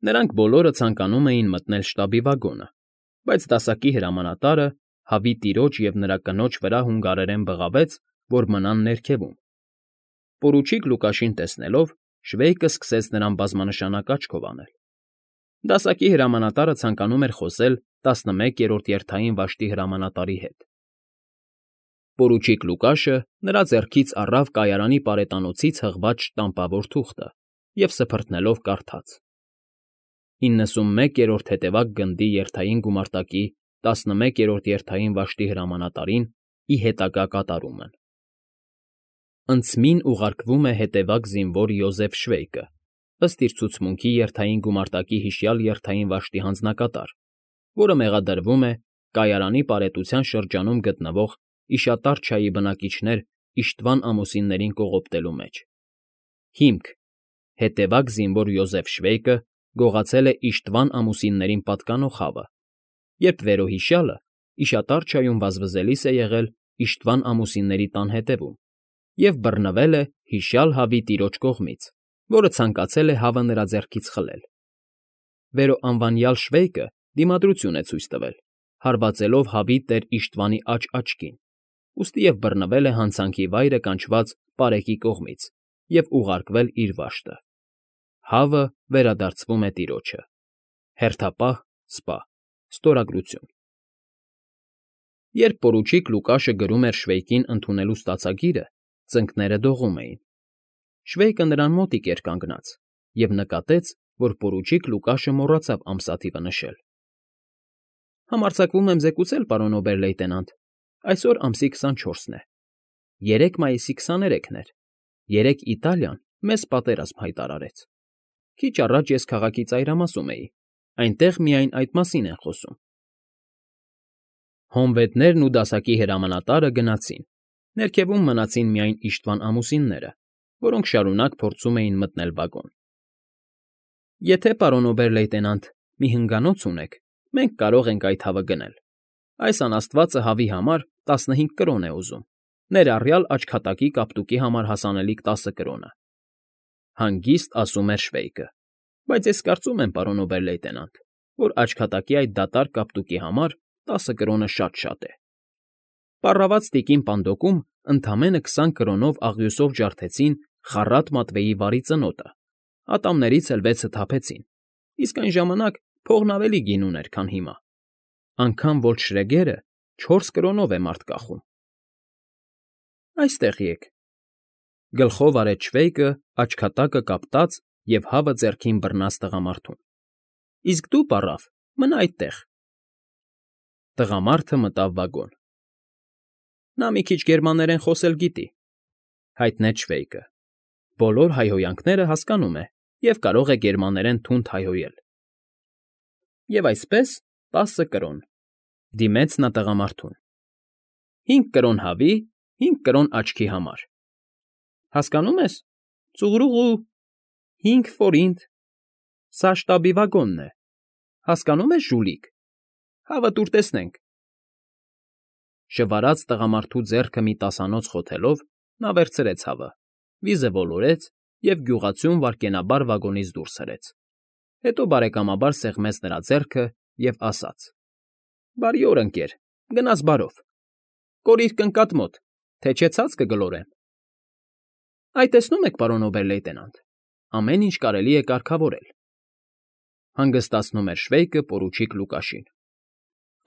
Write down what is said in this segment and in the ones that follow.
Նրանք բոլորը ցանկանում էին մտնել շտաբի վագոնը, բայց դասակի հրամանատարը հավի տիրոջ և նրա կնոջ վրա հունգարերեն բղավեց, որ մնան ներքևում։ Պորուչիկ Լուկաշին տեսնելով՝ Շվեյկը սկսեց նրան բազմանշանակ աչքով անել։ Դասակի հրամանատարը ցանկանում էր խոսել 11-րդ երթային վաշտի հրամանատարի հետ։ Պորուչիկ Լուկաշը նրա ձեռքից առավ կայարանի պարետանոցից հղված շտամպավոր թուղթը և սփռթնելով կարդաց. 91-րդ հետևակ գնդի երթային գումարտակի 11-րդ երթային վաշտի հրամանատարին ի հետագա կատարումն։ Ընծմին ուղարկվում է հետևակ զինվոր Յոզեֆ Շվեյկը, ըստ իր ցուցմունքի երթային գումարտակի հիշյալ երթային վաշտի հանձնակատար, որը մեղադրվում է կայարանի պարետության շրջանում գտնվող Իշատարչայի բնակիչներ իշխտվան ամուսիններին կողոպտելու մեջ։ Հիմք. հետևակ զինվոր Յոզեֆ Շվեյկը գողացել է իշխտվան ամուսիններին պատկանող հավը, երբ վերոհիշյալը Իշատարչայում վազվզելիս է եղել իշխտվան ամուսինների տան հետևում և բռնվել է հիշյալ հավի տիրոջ կողմից, որը ցանկացել է հավը նրա ձեռքից խլել։ Վերոանվանյալ Շվեյկը դիմադրություն է ցույց տվել, հարվածելով հավի տեր Իշխտվանի աջ֊աչքին, ուստի և բռնվել է հանցանքի վայրը կանչված Պարեկի կողմից և ուղարկվել իր վաշտը։ Հավը վերադարձվում է տիրոջը։ Հերթապահ սպա։ Ստորագրություն։ Երբ պորուչիկ Լուկաշը գրում էր Շվեյկին ընդունելու ստացագիրը, ծնկները դողում էին։ Շվեյկը նրան մոտիկ էր կանգնած և նկատեց, որ պորուչիկ Լուկաշը մոռացավ ամսաթիվը նշել։ Համարձակվում եմ զեկուցել, պարոն օբեր֊լեյտենանտ, այսօր ամսի 24-ն է։ 3 մայիսի 23-ն էր։ Երեկ Իտալիան մեծ պատերազմ հայտարարեց։ Քիչ առաջ ես քաղաքի ծայրամասում էի, այնտեղ միայն այդ մասին են խոսում։ Հոնվետներն ու դասակի հրամանատարը գնացին, ներքևում մնացին միայն իշխտվան ամուսինները, որոնք շարունակ փորձում էին մտնել վագոն։ Եթե, պարոն օբեր֊լեյտենանտ, մի հնգանոց ունեք, մենք կարող ենք այդ հավը գնել։ Այս անաստվածը հավի համար 15 կրոն է ուզում, ներառյալ աչքատակի կապտուկի համար հասանելիք 10 կրոնը։ Հանգիստ ասում էր Շվեյկը, բայց ես կարծում եմ, պարոն օբեր֊լեյտենանտ, որ աչքատակի այդ դատարկ կապտուկի համար 10 կրոնը շատ է։ Պառաված տիկին Պանդոկում ընդամենը 20 կրոնով աղյուսով ջարդեցին Խառատ Մատվեի վարի ծնոտը, ատամներից էլ 6-ը թափեցին, իսկ այն ժամանակ փողն ավելի գին ուներ, քան հիմա։ Անգամ Վոլտշրեգերը 4 կրոնով է մարդ կախում։ Այստեղ եք։ Գլխով արեց Շվեյկը աչքատակը կապտած և հավը ձեռքին բռնած տղամարդուն։ Իսկ դու, պառավ, մնա այդտեղ։ Տղամարդը մտավ վագոն։ Նա մի քիչ գերմաներեն խոսել գիտի, հայտնեց Շվեյկը։ Բոլոր հայհոյանքները հասկանում է և կարող է գերմաներեն թունդ հայհոյել։ Եվ այսպես 10 կրոն, դիմեց նա տղամարդուն։ 5 կրոն հավի, 5 կրոն աչքի համար։ Հասկանո՞ւմ ես, ծուղրուղու, 5 ֆորինտ, սա շտաբի վագոնն է, հասկանո՞ւմ ես, ժուլիկ, հավը տուր տեսնենք։ Շվարած տղամարդու ձեռքը մի տասանոց խոթելով՝ նա վերցրեց հավը, վիզը ոլորեց և գյուղացուն վայրկենաբար վագոնից դուրս հրեց։ Հետո բարեկամաբար սեղմեց նրա ձեռքը և ասաց. Բարի օր, ընկեր, գնաս բարով։ Կորիր կնկատ մոտ, թե չէ ցած կգլորեմ։ Այ տեսնում եք, պարոն օբեր֊լեյտենանտ, ամեն ինչ կարելի է կարգավորել։ Հանգստացնում էր Շվեյկը պորուչիկ Լուկաշին։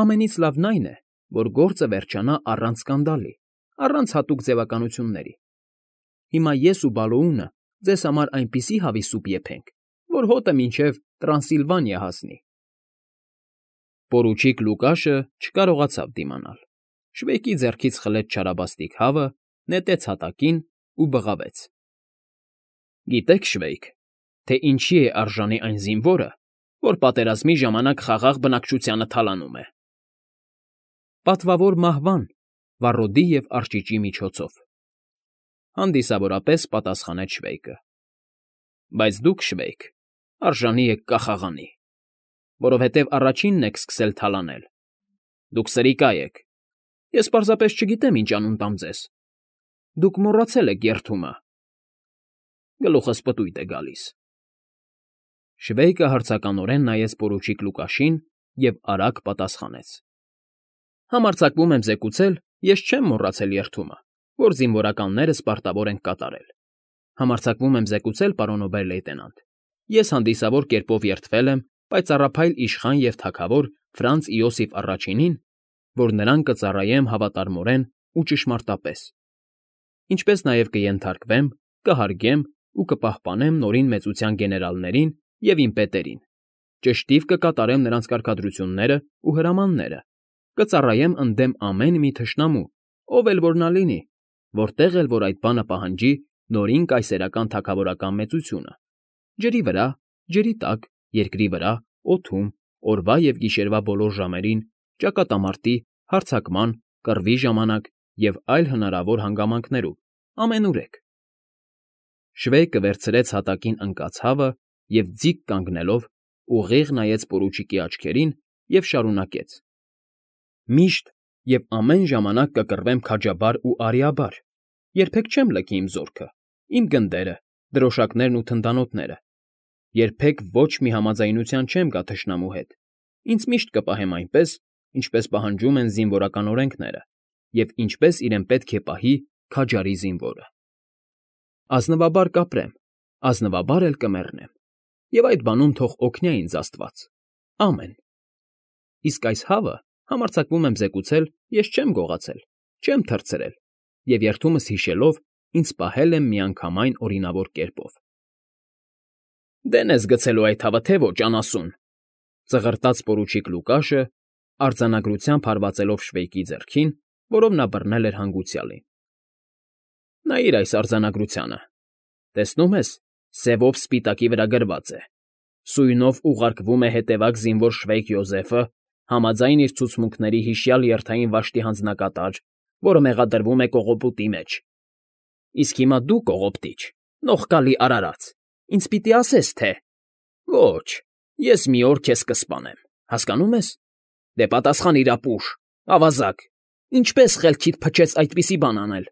Ամենից լավն այն է, որ գործը վերջանա առանց սկանդալի, առանց հատուկ ձևականությունների։ Հիմա ես ու Բալոունը ձեզ համար այնպիսի հավի սուպ եփենք, որ հոտը մինչև Տրանսիլվանիա հասնի։ Պորուչիկ Լուկաշը չկարողացավ դիմանալ։ Շվեյկի ձեռքից խլեց չարաբաստիկ հավը, նետեց հատակին ու բղավեց. Գիտեք, Շվեյկ, թե ինչի է արժանի այն զինվորը, որ պատերազմի ժամանակ խաղաղ բնակչությանը թալանում է։ Պատվավոր մահվան, վառոդի և արճիճի միջոցով, հանդիսավորապես պատասխանեց Շվեյկը։ Բայց դուք, Շվեյկ, արժանի եք կախաղանի, որովհետև առաջինն եք սկսել թալանել։ Դուք սրիկա եք։ Ես պարզապես չգիտեմ ինչ անուն տամ ձեզ։ Դուք մոռացել եք երդումը։ Գլուխս պտույտ է գալիս։ Շվեյկը հարցականորեն նայեց պորուչիկ Լուկաշին և արագ պատասխանեց. Համարձակվում եմ զեկուցել, ես չեմ մոռացել երդումը, որ զինվորականներս պարտավոր են կատարել։ Համարձակվում եմ զեկուցել, պարոն օբեր֊լեյտենանտ, ես հանդիսավոր կերպով երդվել եմ պայծառափայլ իշխան և թագավոր Ֆրանց Իոսիֆ առաջինին, որ նրան կծառայեմ հավատարմորեն ու ճշմարտապես, ինչպես նաև կենթարկվեմ, կհարգեմ ու կպահպանեմ Նորին Մեծության գեներալներին և իմ պետերին, ճշտիվ կկատարեմ նրանց կարգադրությունները ու հրամանները, կծառայեմ ընդդեմ ամեն մի թշնամու, ով էլ որ նա լինի, որտեղ էլ որ այդ բանը պահանջի Նորին կայսերական թագավորական մեծությունը, ջրի վրա, ջրի տակ, երկրի վրա, օդում, օրվա և գիշերվա բոլոր ժամերին, ճակատամարտի, հարձակման, կռվի ժամանակ և այլ հնարավոր հանգամանքներում, ամենուրեք։ Շվեյկը վերցրեց հատակին ընկած հավը և ձիգ կանգնելով ուղիղ նայեց պորուչիկի աչքերին և շարունակեց. Միշտ և ամեն ժամանակ կկռվեմ քաջաբար ու արիաբար, երբեք չեմ լքի իմ զորքը, իմ գնդերը, դրոշակներն ու թնդանոթները, երբեք ոչ մի համաձայնության չեմ գա թշնամու հետ, ինձ միշտ կպահեմ այնպես, ինչպես պահանջում են զինվորական օրենքները և ինչպես իրեն պետք է պահի քաջարի զինվորը։ Ազնվաբար կապրեմ, ազնվաբար էլ կմեռնեմ, և այդ բանում թող օգնի ինձ Աստված, ամեն։ Իսկ այս հավը, համարձակվում եմ զեկուցել, ես չեմ գողացել, չեմ թռցրել և երդումս հիշելով ինձ պահել եմ միանգամայն օրինավոր կերպով։ Դեն ես գցելու այդ հավը, թե ոչ, անասուն, ծղրտաց պորուչիկ Լուկաշը, արձանագրությամբ հարվածելով Շվեյկի ձեռքին, որով նա բռնել էր հանգուցյալին։ Նայիր այս արձանագրությանը, տեսնում ես, սևով սպիտակի վրա գրված է. սույնով ուղարկվում է հետևակ զինվոր Շվեյկ Յոզեֆը, համաձայն իր ցուցմունքների հիշյալ երթային վաշտի հանձնակատար, որը մեղադրվում է կողոպուտի մեջ։ Իսկ հիմա դու կողոպտիչ, նողկալի արարած, ինձ պիտի ասես, թե… Ոչ, ես մի օր քեզ կսպանեմ, հասկանում ես։ Դե պատասխանիր ապուշ, ավազակ, ինչպես խելքիդ փչեց այդպիսի բան անել։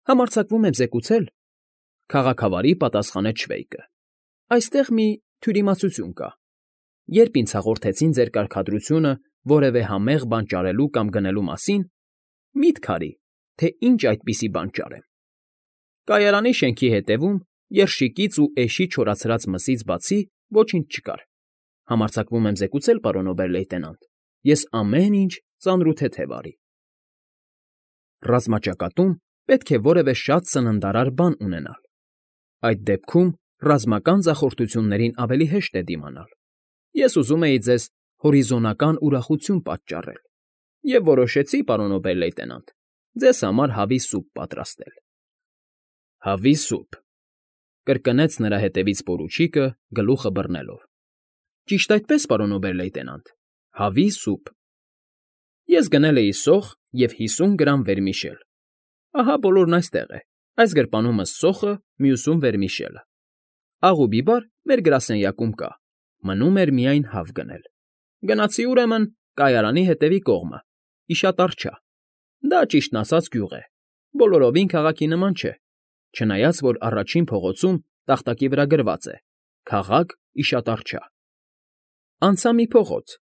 Համարձակվում եմ զեկուցել, քաղաքավարի պատասխանեց Շվեյկը։ Այստեղ մի թյուրիմացություն կա։ Երբ ինձ հաղորդեցին ձեր կարգադրությունը որևէ համեղ բան ճարելու կամ գնելու մասին, միտք արի, թե ինչ այդպիսի բան ճարեմ։ Կայարանի շենքի հետևում, երշիկից ու էշի չորացրած մսից բացի ոչինչ չկար։ Համարձակվում եմ զեկուցել, պարոն օբեր֊լեյտենանտ, ես ամեն ինչ ծանրութեթև արի։ Ռազմաճակատում պետք է որևէ շատ սննդարար բան ունենալ։ Այդ դեպքում ռազմական ձախորդություններին ավելի հեշտ է դիմանալ։ Ես ուզում էի ձեզ հորիզոնական ուրախություն պատճառել և որոշեցի, պարոն օբեր֊լեյտենանտ, ձեզ համար հավի սուպ պատրաստել։ Հավի սուպ, կրկնեց նրա հետևից պորուչիկը, գլուխը բռնելով։ Ճիշտ այդպես, պարոն օբեր֊լեյտենանտ, հավի սուպ։ Ես գնել էի սոխ և 50 գրամ վերմիշել։ Ահա բոլորն այստեղ է, այս գրպանումս սոխը, մյուսում վերմիշելը։ Աղ ու բիբար մեր գրասենյակում կա, մնում էր միայն հավ գնել։ Գնացի, ուրեմն, կայարանի հետևի կողմը, Իշատարչա։ Դա, ճիշտն ասած, գյուղ է, բոլորովին քաղաքի նման չէ, չնայած որ առաջին փողոցում տախտակի վրա գրված է. «Քաղաք Իշատարչա»։ Անցա մի փողոց,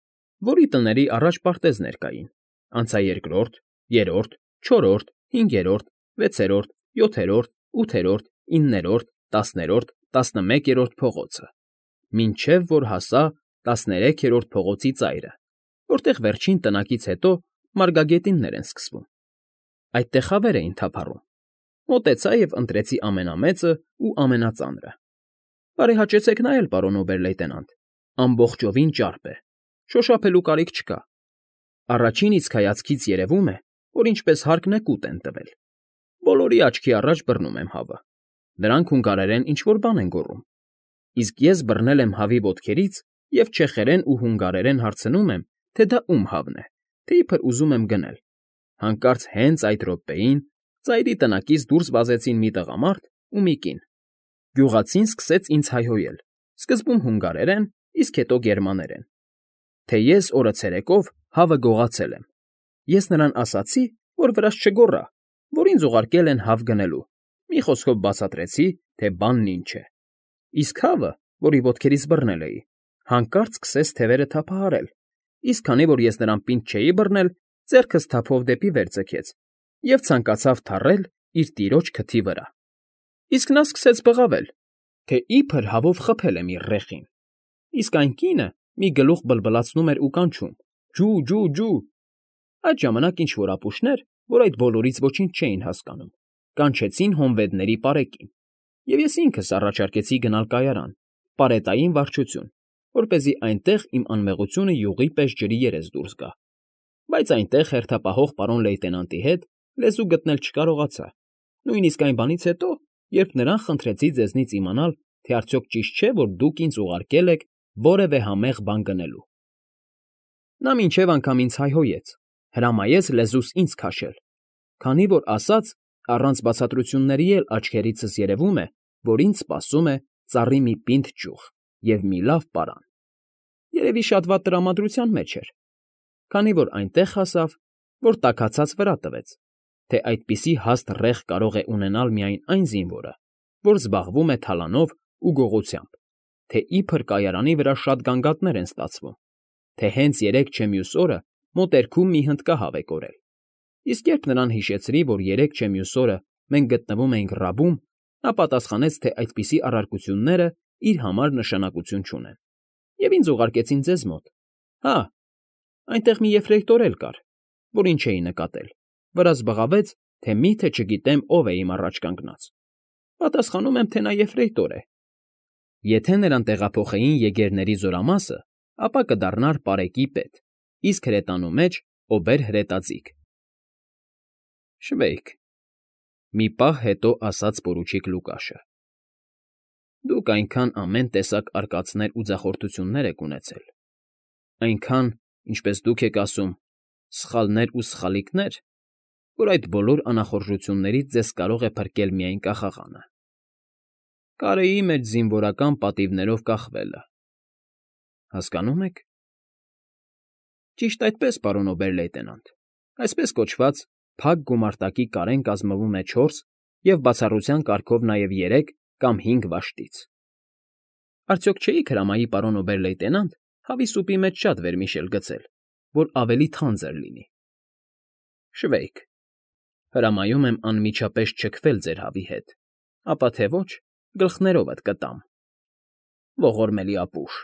որի տների առաջ պարտեզներ կային, անցա երկրորդ, երրորդ, չորրորդ, հինգերորդ, վեցերորդ, յոթերորդ, ութերորդ, իններորդ, 10-րդ, 11-րդ փողոցը, մինչև որ հասա 13-րդ փողոցի ծայրը, որտեղ վերջին տնակից հետո մարգագետիններ են սկսվում։ Այդտեղ խավեր էին թափառում։ Մոտեցա և ընտրեցի ամենամեծը ու ամենածանրը։ Բարեհաճեցեք նայել, պարոն օբեր֊լեյտենանտ, ամբողջովին ճարպ է, շոշափելու կարիք չկա։ Առաջին իսկ հայացքից երևում է, որ ինչպես հարկն է կուտ են տվել։ Բոլորի աչքի առաջ բռնում եմ հավը։ Նրանք հունգարերեն ինչ֊որ բան են գոռում։ Իսկ ես բռնել եմ հավի ոտքերից և չեխերեն ու հունգարերեն հարցնում եմ, թե դա ում հավն է, թե իբր ուզում եմ գնել։ Հանկարծ հենց այդ րոպեին ծայրի տնակից դուրս վազեցին մի տղամարդ ու մի կին։ Գյուղացին սկսեց ինձ հայհոյել, սկզբում հունգարերեն, իսկ հետո գերմաներեն, թե ես օրը ցերեկով հավը գողացել եմ։ Ես նրան ասացի, որ վրաս չգոռա, որ ինձ ուղարկել են հավ գնելու, մի խոսքով բացատրեցի, թե բանն ինչ է։ Իսկ հավը, որի ոտքերից բռնել էի, հանկարծ սկսեց թևերը թափահարել, իսկ քանի որ ես նրան պինդ չէի բռնել, ձեռքս թափով դեպի վեր ձգեց և ցանկացավ թռել իր տիրոջ քթի վրա։ Իսկ նա սկսեց բղավել, թե իբր հավով խփել եմ իր ռეხին, իսկ այն կինը մի գլուխ բլբլացնում էր ու կանչում. «Ջու, ջու, ջու»։ Այդ ժամանակ ինչ֊որ ապուշներ, որ այդ բոլորից ոչինչ չէին հասկանում, կանչեցին հոնվեդների պարեկին, և ես ինքս առաջարկեցի գնալ կայարան, պարետային վարչություն, որպեսզի այնտեղ իմ անմեղությունը յուղի պես ջրի երես դուրս գա։ Բայց այնտեղ հերթապահող պարոն լեյտենանտի հետ լեզու գտնել չկարողացա, նույնիսկ այն բանից հետո, երբ նրան խնդրեցի ձեզնից իմանալ, թե արդյոք ճիշտ չէ, որ դուք ինձ ուղարկել եք որևէ համեղ բան գնելու։ Նա մինչև անգամ ինձ հայհոյեց, հրամայեց լեզուս ինձ քաշել, քանի որ ասաց, առանց բացատրությունների էլ աչքերիցս երևում է, որ ինձ սպասում է ծառի մի պինդ ճյուղ և մի լավ պարան։ Երևի շատ վատ տրամադրության մեջ էր, քանի որ այնտեղ հասավ, որ տաքացած վրա տվեց, թե այդպիսի հաստ ռեղ կարող է ունենալ միայն այն զինվորը, որ զբաղվում է թալանով ու գողությամբ, թե իբր կայարանի վրա շատ գանգատներ են ստացվում, թե հենց երեկ չէ մյուս օրը մոտերքում մի հնդկահավ է կորել։ Իսկ երբ նրան հիշեցրի, որ երեկ չէ մյուս օրը մենք գտնվում էինք Ռաբում, նա պատասխանեց, թե այդպիսի առարկությունները իր համար նշանակություն չունեն, և ինձ ուղարկեցին ձեզ մոտ։ Հա, այնտեղ մի եֆրեյտոր էլ կար, որին չէի նկատել, վրաս բղավեց, թե մի՞թե չգիտեմ ով է իմ առաջ կանգնած։ Պատասխանում եմ, թե նա եֆրեյտոր է։ Եթե նրան տեղափոխեին եգերների զորամասը, ապա կդառնար պարեկի պետ, իսկ հրետանու մեջ օբեր֊հրետաձիգ։ Շվեյք, մի պահ հետո ասաց պորուչիկ Լուկաշը։ Դուք այնքան ամեն տեսակ արկածներ ու ձախորդություններ եք ունեցել, այնքան, ինչպես դուք եք ասում, սխալներ ու սխալիքներ, որ այդ բոլոր անախորժություններից ձեզ կարող է փրկել միայն կախաղանը։ Կարեի մեջ զինվորական պատիվներով կախվելը։ Հասկանո՞ւմ եք։ Ճիշտ այդպես, պարոն օբեր֊լեյտենանտ, այսպես կոչված, փակ գումարտակի կարեն կազմվում է 4 և բացառության կարգով նաև 3 կամ 5 վաշտից։ Արդյոք չէիք հրամայի, պարոն օբեր֊լեյտենանտ, հավի սուպի մեջ շատ վերմիշել գցել, որ ավելի թանձր լինի։ Շվեյք, հրամայում եմ անմիջապես չքվել ձեր հավի հետ, ապա թե ոչ, գլխներովդ կտամ։ Ողորմելի ապուշ։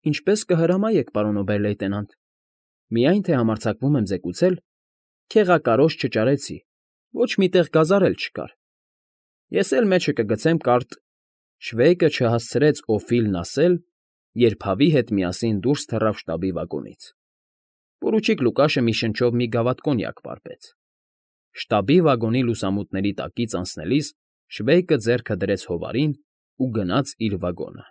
Ինչպես կհրամայեք, պարոն օբեր֊լեյտենանտ, միայն թե համարձակվում եմ զեկուցել, քեղակարոշ չճարեցի, ոչ մի տեղ գազարել չկար։ Ես էլ մեջը կգցեմ կարտ… Շվեյկը չհասցրեց Օֆիլն ասել, երբ հավի հետ միասին դուրս թռավ շտաբի վագոնից։ Պորուչիկ Լուկաշը մի շնչով մի գավաթ կոնյակ պարպեց։ Շտաբի վագոնի լուսամուտների տակից անցնելիս Շվեյկը ձեռքը դրեց հովարին ու գնաց իր վագոնը։